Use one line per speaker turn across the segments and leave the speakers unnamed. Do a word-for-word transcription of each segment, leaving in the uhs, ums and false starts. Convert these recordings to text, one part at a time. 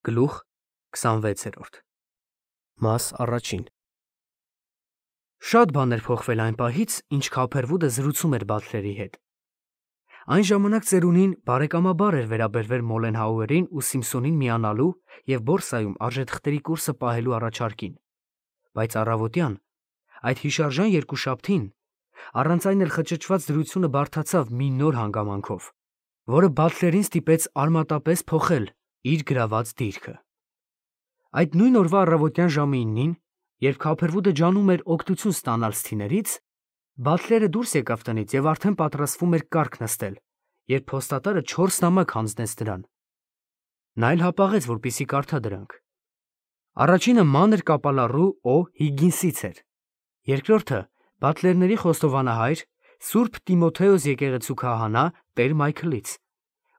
Գլուխ քսանվեցերորդ Մաս առաջին Շատ բան էր փոխվել այն պահից, ինչ Քափերվուդը զրուցում էր Բաթլերի հետ։ Այն ժամանակ ծերունին բարեկամաբար էր վերաբերվել Մոլենհաուերին ու Սիմփսոնին միանալու և բորսայում արժեթղթերի կուրսը պահելու առաջարկին, բայց առավոտյան, այդ հիշարժան երկուշաբթին, առանց այն էլ խճճված դրությունը բարդացավ մի նոր հանգամանքով, որը Բաթլերին ստիպեց արմատապես փոխել իր գրաված դիրքը։ Այդ նույն օրվա առավոտյան ժամը իննին, երբ Քափերվուդը ջանում էր օգնություն ստանալ Սթիներից, Բաթլերը դուրս եկավ տնից և արդեն պատրաստվում էր կառք նստել, երբ փոստատարը չորս նամակ հանձնեց նրան։ Նա էլ հապաղեց, որպեսզի կարդա դրանք։ Առաջինը մանր կապալառու Օ. Հիգինսից էր, երկրորդը Բաթլերների խոստովանահայր Սուրբ Տիմոթեոս եկեղեցու քահանա Տեր Մայքլից,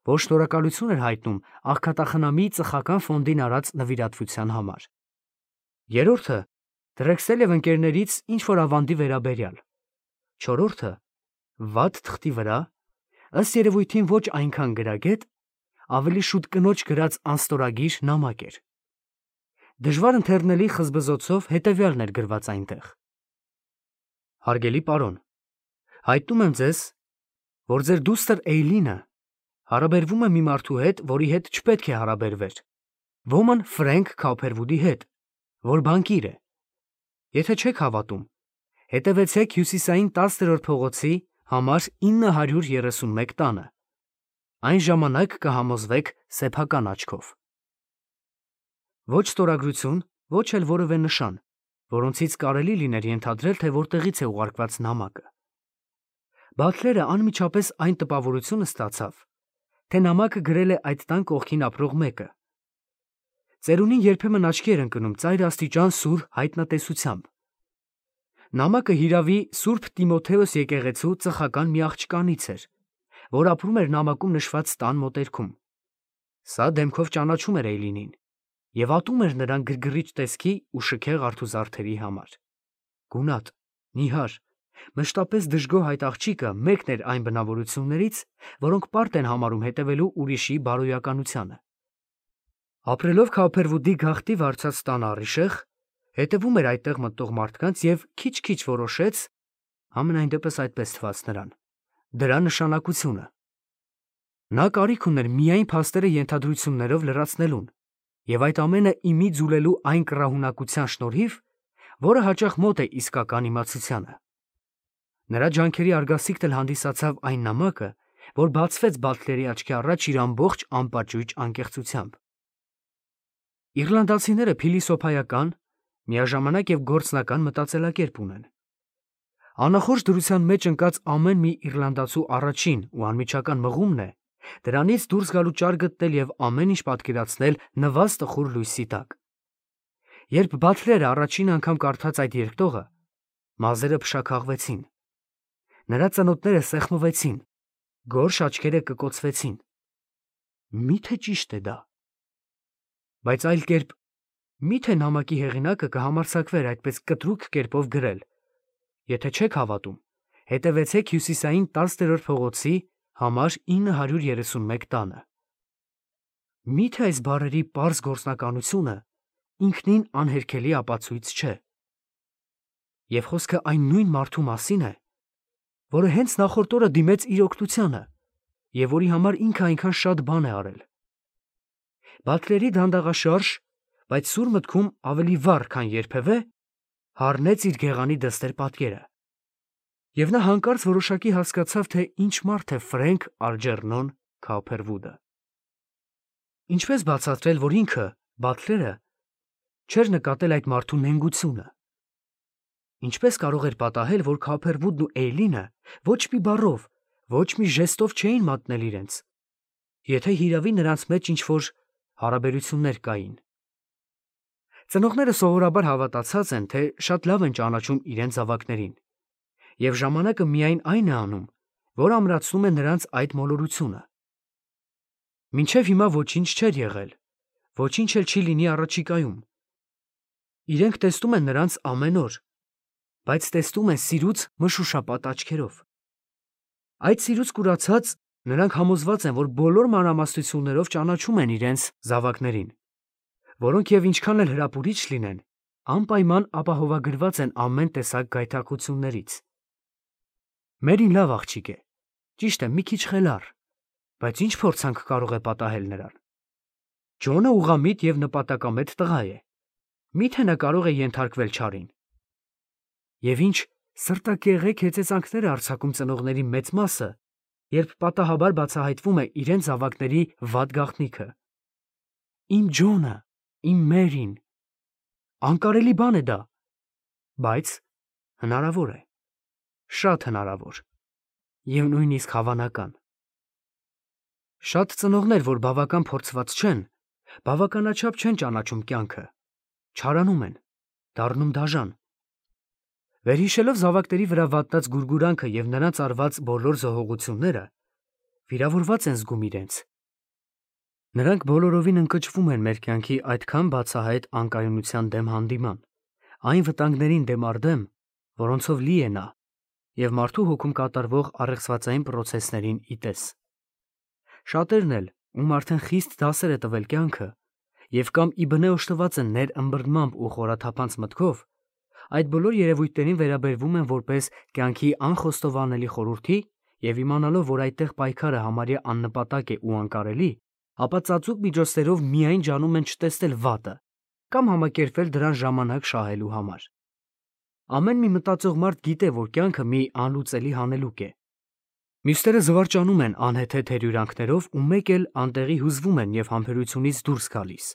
որ շնորհակալություն էր հայտնում աղքատախնամի ծխական ֆոնդին արած նվիրատվության համար։ Երրորդը Դրեքսել և ընկերներից ինչ-որ ավանդի վերաբերյալ։ Չորրորդը վատ թղթի վրա, ըստ երևույթին ոչ այնքան գրագետ, ավելի շուտ կնոջ գրած անստորագիր նամակ էր։ Դժվար ընթեռնելի խզբզոցով հետևյալն էր գրված այնտեղ. Հարգելի պարոն, հայտնում եմ ձեզ, որ ձեր դուստր Էյլինը հարաբերվում է մի մարդու հետ, որի հետ չպետք է հարաբերվեր, ոմն Ֆրենկ Քափերվուդի հետ, որ բանկիր է։ Եթե չեք հավատում, հետևեցեք Հյուսիսային տասներորդ փողոցի համար ինը հարյուր երեսունմեկ տանը, այն ժամանակ կհամոզվեք սեփական աչքով։ Ոչ ստորագրություն, ոչ էլ որևէ նշան, որոնցից կարելի լիներ ենթադրել, թե որտեղից է ուղարկված նամակը։ Բաթլերը անմիջապես այն տպավորությունը ստացավ, թե նամակը գրել է այդ տան կողքին ապրող մեկը։ Ծերունին երբեմն աչքի էր ընկնում ծայրաստիճան սուր հայտնատեսությամբ։ Նամակը հիրավի Սուրբ Տիմոթեոս եկեղեցու ծխական մի աղջկանից էր, որ ապրում էր նամակում նշված տան մոտերքում։ Սա դեմքով ճանաչում էր Էյլինին և ատում էր նրան գրգռիչ տեսքի ու շքեղ արթուզարդերի համար։ Գունատ, նիհար, մշտապես դժգոհ այդ աղջիկը մեկն էր այն բնավորություններից, որոնք պարտ են համարում հետևելու ուրիշի բարոյականությանը։ Ապրելով Քափերվուդի գաղտնի վարձած տան առիժեղ, հետևում էր այդտեղ մտող մարդկանց և քիչ-քիչ որոշեց, համենայն դեպս այդպես թվաց նրան, դրա նշանակությունը։ Նա կարիք ուներ միայն փաստերը ենթադրություններով լրացնելուն և այդ ամենը ի մի ձուլելու այն կռահունակության շնորհիվ, որը հաճախ մոտ է իսկական իմացությանը։ Նրա ջանքերի արգասիքտ էլ հանդիսացավ այն նամակը, որ բացվեց Բաթլերի աչքի առաջ իր ամբողջ անպաճույճ անկեղծությամբ։ Իռլանդացիները փիլիսոփայական, միաժամանակ և գործնական մտածելակերպ ունեն։ Անախորժ դրության մեջ ընկած ամեն մի իռլանդացու առաջին ու անմիջական մղումն է դրանից դուրս գալու ճար գտնել և ամեն ինչ պատկերացնել նվազ տխուր լույսի տակ։ Երբ Բաթլերը առաջին անգամ կարդաց այդ երկտողը, մազերը փշաքաղվեցին, նրա ծնոտները սեղմվեցին, գորշ աչքերը կկոցվեցին։ Մի՞թե ճիշտ է դա։ Բայց այլ կերպ, մի՞թե նամակի հեղինակը կհամարձակվեր այդպես կտրուկ կերպով գրել. եթե չեք հավատում, հետևեցեք Հյուսիսային տասներորդ փողոցի համար ինը հարյուր երեսունմեկ տանը։ Մի՞թե այս բառերի պարզ գործնականությունը ինքնին անհերքելի ապացույց չէ։ Եվ խոսքը այն նույն մարդու մասին է, որը հենց նախորդ օրը դիմեց իր օգնությանը և որի համար ինքը այնքան շատ բան է արել։ Բաթլերի դանդաղաշարժ, բայց սուր մտքում ավելի վառ, քան երբևէ, հառնեց իր գեղանի դստեր պատկերը։ Եվ նա հանկարծ որոշակի հասկացավ, թե ինչ մարդ է Ֆրենկ Ալջերնոն Քափերվուդը։ Ինչպես բացատրել, որ ինքը՝ Բաթլերը, չէր նկատել այդ մարդու նենգությունը։ Ինչպես կարող էր պատահել, որ Քափերվուդն ու Էյլինը ոչ մի բառով, ոչ մի ժեստով չէին մատնել իրենց, եթե հիրավի նրանց մեջ ինչ-որ հարաբերություններ կային։ Ծնողները սովորաբար հավատացած են, թե շատ լավ են ճանաչում իրենց զավակներին, և ժամանակը միայն այն է անում, որ ամրացնում է նրանց այդ մոլորությունը։ Մինչև հիմա ոչինչ չէր եղել, ոչինչ էլ չի լինի առաջիկայում։ Իրենք տեսնում են նրանց ամեն օր, բայց տեսնում են սիրուց մշուշապատ աչքերով։ Այդ սիրուց կուրացած, նրանք համոզված են, որ բոլոր մանրամասնություններով ճանաչում են իրենց զավակներին որոնք եւ ինչքան էլ հրապուրիչ լինեն, անպայման ապահովագրված են ամեն տեսակ գայթակղություններից։ Մերին լավ աղջիկ է, ճիշտ է, մի քիչ խելառ, բայց ինչ փորձանք կարող է պատահել նրան։ Ջոնը ուղղամիտ եւ նպատակամետ տղա է, միթե նա կարող է ենթարկվել չարին։ Եվ ինչ սրտակեղեկ հեծեծանքներ է արձակում ծնողների մեծ մասը, երբ պատահաբար բացահայտվում է իրենց զավակների վատ գաղտնիքը։ Իմ Ջոնը, իմ Մերին, անկարելի բան է դա, բայց հնարավոր է, շատ հնարավոր եւ նույնիսկ հավանական։ Շատ ծնողներ, որ բավական փորձված չեն, բավականաչափ չեն ճանաչում կյանքը, չարանում են, դառնում դաժան։ Վերհիշելով զավակների վրա վատտած գուրգուրանքը եւ նրանց արված բոլոր զոհողությունները, վիրավորված են զգում իրենց։ Նրանք բոլորովին ընկճվում են մեր կյանքի այդքան բացահայտ անկայունության դեմ հանդիման, այն վտանգներին դեմ արդեմ, որոնցով լի է նա, եւ մարդու հոգում կատարվող առեղծվածային պրոցեսներին ի տես։ Շատերն էլ, ում արդեն խիստ դասեր է տվել կյանքը, եւ կամ ի բնե օժտված են ներըմբռնմամբ ու խորաթափանց մտքով, այդ բոլոր երևույթներին վերաբերվում են որպես կյանքի անխոստովանելի խորհրդի եւ իմանալով, որ այդտեղ պայքարը համարյա աննպատակ է ու անկարելի, ապա ծածուկ միջոցներով միայն ջանում են չտեսնել վատը կամ համակերպվել դրան ժամանակ շահելու համար։ Ամեն մի մտածող մարդ գիտե, որ կյանքը մի անլուծելի հանելուկ է։ Մյուսները զվարճանում են անհեթեթ հերյուրանքներով ու մեկ էլ անտեղի հուզվում են եւ համբերությունից դուրս գալիս։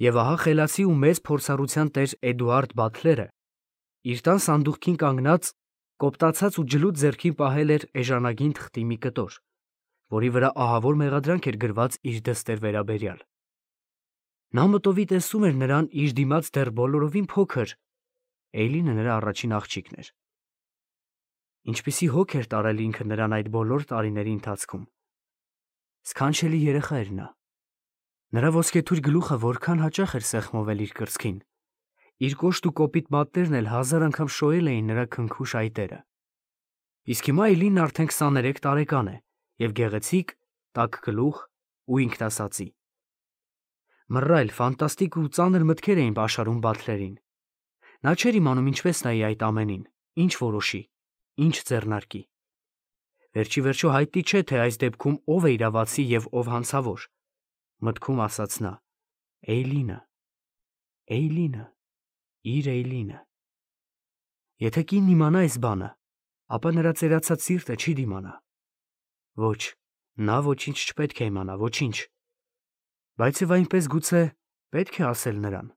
Եվ ահա խելացի ու մեծ փորձառության տեր Էդուարդ Բաթլերը իր տան սանդուղքին կանգնած կոպտացած ու ջլուտ ձեռքին պահել էր էժանագին թղթի մի կտոր, որի վրա ահավոր մեղադրանք էր գրված իր դստեր վերաբերյալ։ Նա մտովի տեսում էր նրան իր դիմաց դեռ բոլորովին փոքր, Էյլինը նրա առաջին աղջիկն էր։ Ինչպիսի հոգ էր տարել ինքը նրան այդ բոլոր տարիների ընթացքում։ Սքանչելի երեխա էր նա։ Նրա ոսկեթույր գլուխը որքան հաճախ էր սեղմովել իր կրծքին, իր կոշտ ու կոպիտ մատներն էլ հազար անգամ շոյել էին նրա քնքուշ այտերը։ Իսկ հիմա Էյլինն արդեն քսաներեք տարեկան է եւ գեղեցիկ, տաք գլուխ ու ինքնասածի։ Մռայլ, ֆանտաստիկ ու ծանր մտքեր էին բաշարում Բաթլերին։ Նա չէր իմանում ինչպես նայի այդ ամենին, ինչ որոշի, ինչ ձեռնարկի։ Վերջի վերջո հայտնի չէ, թե այս դեպքում ով է իրավացի եւ ով հանցավոր։ Մտքում ասաց նա. Էյլինը, Էյլինը, իր Էյլինը։ Եթե կինն իմանա այս բանը, ապա նրա ծերացած սիրտը չի դիմանա։ Ոչ, նա ոչինչ չպետք է իմանա, ոչինչ։ Բայց եւ այնպես գուցե պետք է ասել նրան.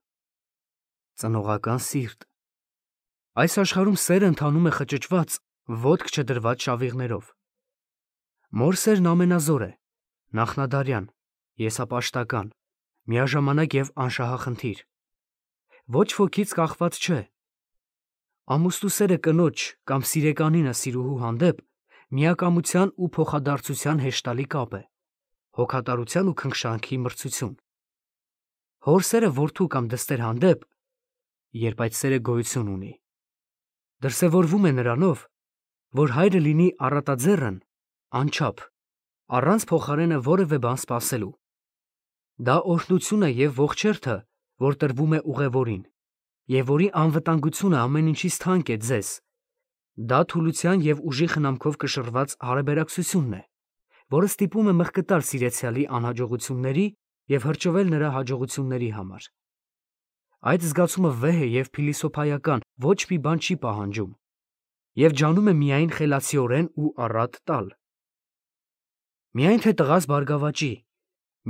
ծնողական սիրտ։ Այս աշխարհում սերը ընթանում է խճճված, ոտք չդրված շավիղներով։ Մոր սերն ամենազոր է, նախնադարյան, եսապաշտական, միաժամանակ եւ անշահախնդիր։ Ոչ ոքից կախված չէ։ Ամուսնու սերը կնոջ կամ սիրեկանինը սիրուհու հանդեպ միակամության ու փոխադարձության հեշտալի կապ է, հոգատարության ու քնքշանքի մրցություն։ Հոր սերը որդու կամ դստեր հանդեպ, երբ այդ սերը գոյություն ունի, դրսևորվում է նրանով, որ հայրը լինի առատաձեռն, անչափ, առանց փոխարենը որևէ բան սպասելու։ Դա օրհնություն է եւ ողջերթը, որ տրվում է ուղևորին, եւ որի անվտանգությունը ամեն ինչից թանկ է ձեզ։ Դա թուլության եւ ուժի խնամքով կշռված հարաբերակցությունն է, որը ստիպում է մղկտալ սիրեցյալի անհաջողությունների եւ հրճվել նրա հաջողությունների համար։ Այդ զգացումը վեհ է եւ փիլիսոփայական, ոչ մի բան չի պահանջում, եւ ջանում է միայն խելացիորեն ու առատ տալ։ Միայն թե տղաս բարգավաճի,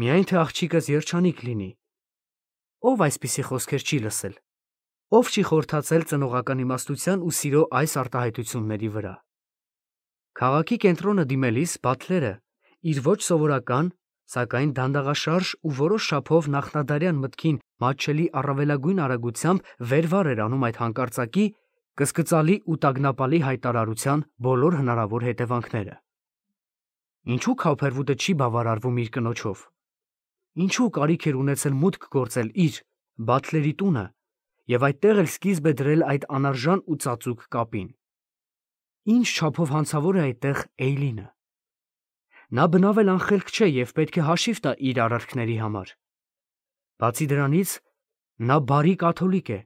միայն թե աղջիկս երջանիկ լինի։ Ով այսպիսի խոսքեր չի լսել, ով չի խորթացել ծնողական իմաստության ու սիրո այս արտահայտությունների վրա։ Քաղաքի կենտրոնը դիմելիս Բաթլերը իր ոչ սովորական, սակայն դանդաղաշարժ ու որոշ չափով նախնադարյան մտքին մատչելի առավելագույն արագությամբ վեր-վար էր անում այդ հանկարծակի, կսկծալի ու տագնապալի հայտարարության բոլոր հնարավոր հետևանքները։ Ինչու Քոփերվուդը չի բավարարվում իր կնոջով։ Ինչու կարիք էր ունեցել մուտք գործել իր Բաթլերի տունը եւ այդտեղ էլ սկիզբ է դրել այդ անարժան ու ծածուկ կապին։ Ինչ չափով հանցավոր է այդտեղ Էյլինը։ Նա բնավ էլ անխելք չէ եւ պետք է հաշիվ տա իր արարքների համար։ Բացի դրանից, նա բարի կաթոլիկ է,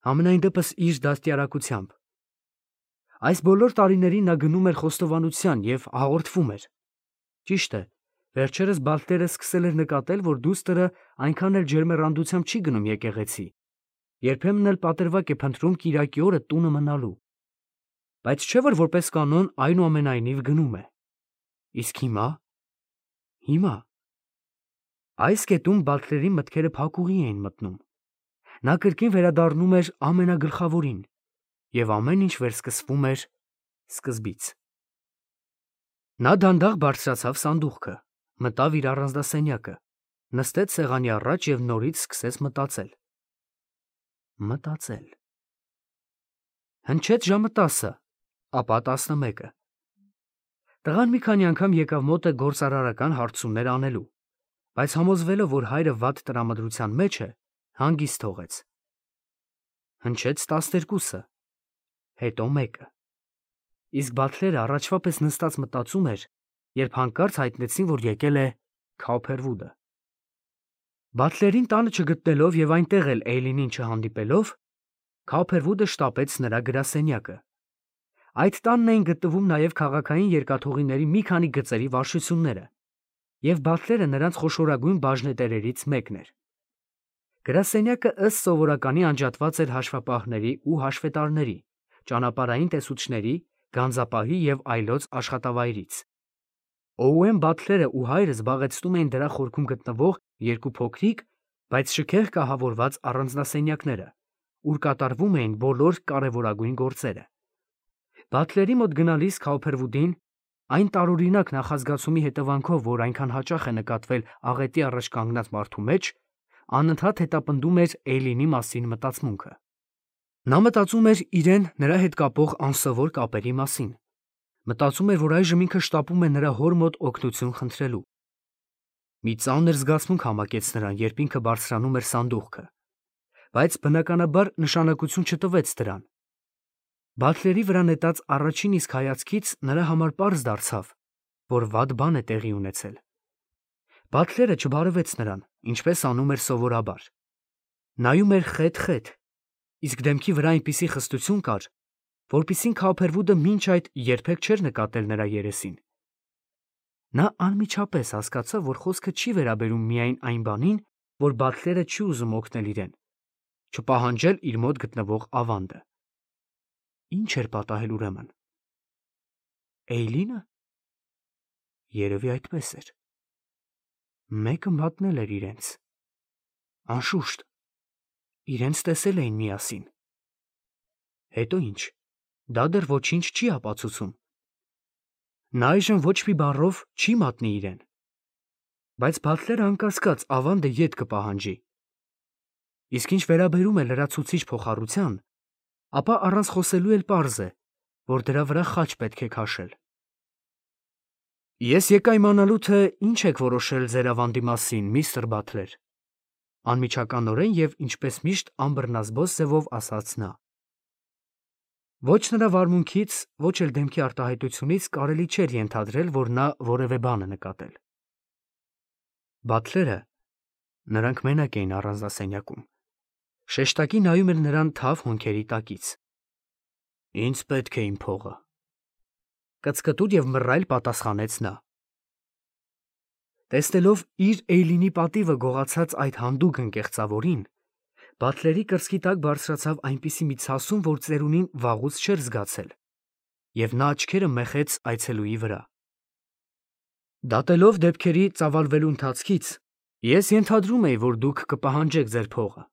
համենայն դեպս իր դաստիարակությամբ։ Այս բոլոր տարիներին նա գնում էր խոստովանության և հաղորդվում էր։ Ճիշտ է, վերջերս Բալտերը սկսել էր նկատել, որ դուստրը այնքան էլ ջերմեռանդությամբ չի գնում եկեղեցի, երբեմն էլ պատրվակ է փնտրում կիրակի օրը տունը մնալու։ Բայց չէ՞ որ որպես կանոն այնուամենայնիվ գնում է։ Իսկ հիմա… հիմա… Այս կետում Բալտլերի մտքերը փակուղի էին մտնում։ Նա կրկին վերադառնում էր ամենագլխավորին, և ամեն ինչ վերսկսվում էր սկզբից։ Նա դանդաղ բարձրացավ սանդուղքը, մտավ իր առանձնասենյակը, նստեց սեղանի առաջ և նորից սկսեց մտածել… մտածել… Հնչեց ժամը տասը, ապա տասնմեկը։ Տղան մի քանի անգամ եկավ մոտը գործարարական հարցումներ անելու, բայց համոզվելով, որ հայրը վատ տրամադրության մեջ է, հանգիստ թողեց։ Հնչեց տասներկուսը, հետո մեկը։ Իսկ Բալթլերը առաջվա պես նստած մտածում էր, երբ հանկարծ հայտնեցին, որ եկել է Քաուփերվուդը։ Բալթլերին տանը չգտնելով և այնտեղ էլ Էյլինին չհանդիպելով, Քաուփերվուդը շտապեց նրա գրասենյակը։ Այդ տանն էին գտնվում նաև քաղաքային երկաթուղիների մի քանի գծերի վարժությունները, և Բալթլերը նրանց խոշորագույն բաժնետերերից մեկն էր։ Գրասենյակը ըստ սովորականի անջատված էր հաշվապահների ու հաշվետարների, ճանապարհային տեսուչների, գանձապահի և այլոց աշխատավայրից։ Օուեն Բալթլերը ու հայրը զբաղեցնում էին դրա խորքում գտնվող երկու փոքրիկ, բայց շքեղ կահավորված առանձնասենյակները, ուր կատարվում էին բոլոր կարևորագույն գործերը։ Բալթլերի մոտ գնալիս Քաուփերվուդին, այն տարօրինակ նախազգացումի հետևանքով, որ այնքան հաճախ է նկատվել աղետի առաջ կանգնած մարդու մեջ, անընդհատ հետապնդում էր Էյլինի մասին մտածմունքը։ Նա մտածում էր իրեն նրա հետ կապող անսովոր կապերի մասին։ Մտածում էր, որ այժմ ինքը շտապում է նրա հոր մոտ օգնություն խնդրելու։ Մի ծանր զգացմունք համակեց նրան, երբ ինքը բարձրանում էր սանդուղքը, բայց բնականաբար նշանակություն չտվեց դրան։ Բալթլերի վրա նետած առաջին իսկ հայացքից նրա համար պարզ դարձավ, որ վատ բան է տեղի ունեցել։ Բալթլերը չբարևեց նրան, ինչպես անում էր սովորաբար։ Նայում էր խեթ-խեթ, իսկ դեմքի վրա այնպիսի խստություն կար, որպիսին Քաուփերվուդը մինչ այդ երբեք չէր նկատել նրա երեսին։ Նա անմիջապես հասկացավ, որ խոսքը չի վերաբերում միայն այն բանին, որ Բալթլերը չի ուզում օգնել իրեն, չպահանջել իր մոտ գտնվող ավանդը։ Ի՞նչ էր պատահել ուրեմն։ Էյլինը։ Երևի այդպես էր։ Մեկը մատնել էր իրենց։ Անշուշտ, իրենց տեսել էին միասին։ Հետո ի՞նչ, դա դեռ ոչինչ չի ապացուցում։ Նա այժմ ոչ մի բառով չի մատնի իրեն։ Բայց Բալթլերը անկասկած ավանդը ետ կպահանջի։ Իսկ ինչ վերաբերում է լրացուցիչ փոխառության, ապա առանց խոսելու էլ պարզ է, որ դրա վրա խաչ պետք է քաշել։ Ես եկա իմանալու, թե ինչ եք որոշել ձեր ավանդի մասին, միստր Բալթլեր, անմիջականորեն և ինչպես միշտ անբռնազբոս ձևով ասաց նա։ Ոչ նրա վարմունքից, ոչ էլ դեմքի արտահայտությունից կարելի չէր ենթադրել, որ նա որևէ բան է նկատել։ Բալթլերը, նրանք մենակ էին առանձնասենյակում, շեշտակի նայում էր նրան թավ հոնքերի տակից։ Ինձ պետք է իմ փողը, կծկտուր և մռայլ պատասխանեց նա։ Տեսնելով իր Էյլինի պատիվը գողացած այդ հանդուգն կեղծավորին, Բալթլերի կրծքի տակ բարձրացավ այնպիսի մի ցասում, որ ծերունին վաղուց չէր զգացել, և նա աչքերը մեխեց այցելուի վրա։ Դատելով դեպքերի ծավալվելու ընթացքից, ես ենթադրում էի, որ դուք կպահանջեք ձեր փողը։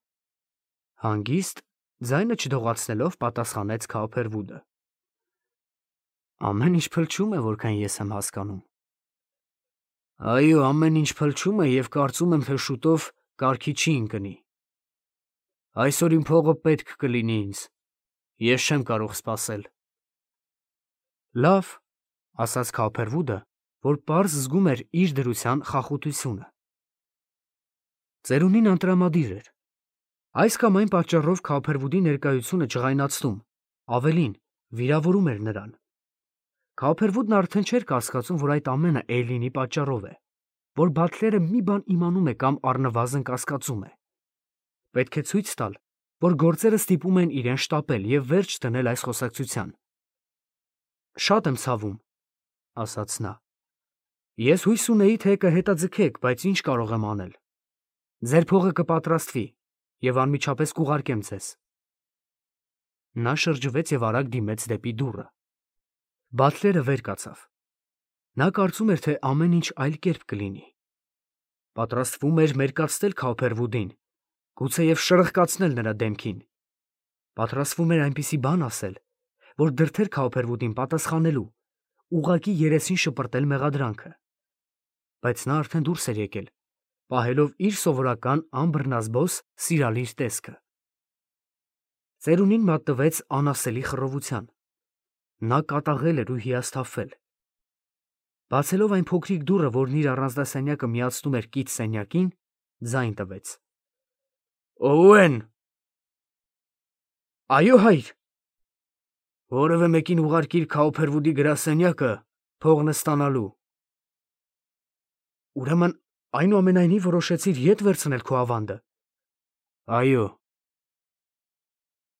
Հանգիստ, ձայնը չդողացնելով պատասխանեց Քաուփերվուդը։ Ամեն ինչ փլչում է, որքան ես եմ հասկանում։ Այո, ամեն ինչ փլչում է և կարծում եմ, թե շուտով կարգի չի ընկնի։ Այսօր իմ փողը պետք կլինի ինձ, ես չեմ կարող սպասել։ Լավ, ասաց Քաուփերվուդը, որ պարզ զգում էր իր դրության խախուտությունը։ Ծերունին անտրամադիր էր։ Այս կամ այն պատճառով Քաուփերվուդի ներկայությունը ջղայնացնում, ավելին, վիրավորում էր նրան։ Քաուփերվուդն արդեն չէր կասկածում, որ այդ ամենը Էյլինի պատճառով է։ որ Բաթլերը մի բան իմանում է կամ առնվազն կասկածում է։ Պետք է ցույց տալ, որ գործերը ստիպում են իրեն շտապել և վերջ դնել այս խոսակցության։ Շատ եմ ցավում, ասաց նա։ Ես հույս ունեի, թե կհետաձգեք, բայց ինչ կարող եմ անել։ Ձեր փողը կպատրաստվի և անմիջապես կուղարկեմ ձեզ։ Նա շրջվեց և արագ դիմեց դեպի դուռը։ Բաթլերը վեր կացավ։ Նա կարծում էր, թե ամեն ինչ այլ կերպ կլինի։ Պատրաստվում էր մերկացնել Քոուփերվուդին, գուցեև շրխկացնել նրա դեմքին։ Պատրաստվում էր այնպիսի բան ասել, որ դրդեր Քոուփերվուդին պատասխանելու, ուղղակի երեսին շպրտել մեղադրանքը։ Բայց նա արդեն դուրս էր եկել, պահելով իր սովորական անբռնազբոս սիրալիր տեսքը։ Ծերունին մատնվեց անասելի խռովության։ Նա կատաղել էր ու հիասթափվել։ Բացելով այն փոքրիկ դուռը, որն իր առանձնասենյակը միացնում էր կից սենյակին, ձայն տվեց. Օուեն։ Այո, հայր։ Որևէ մեկին ուղարկիր Քոուփերվուդի գրասենյակը փողն ստանալու։ Ուրեմն այնուամենայնիվ որոշեցիր ետ վերցնել քո ավանդը։ Այո։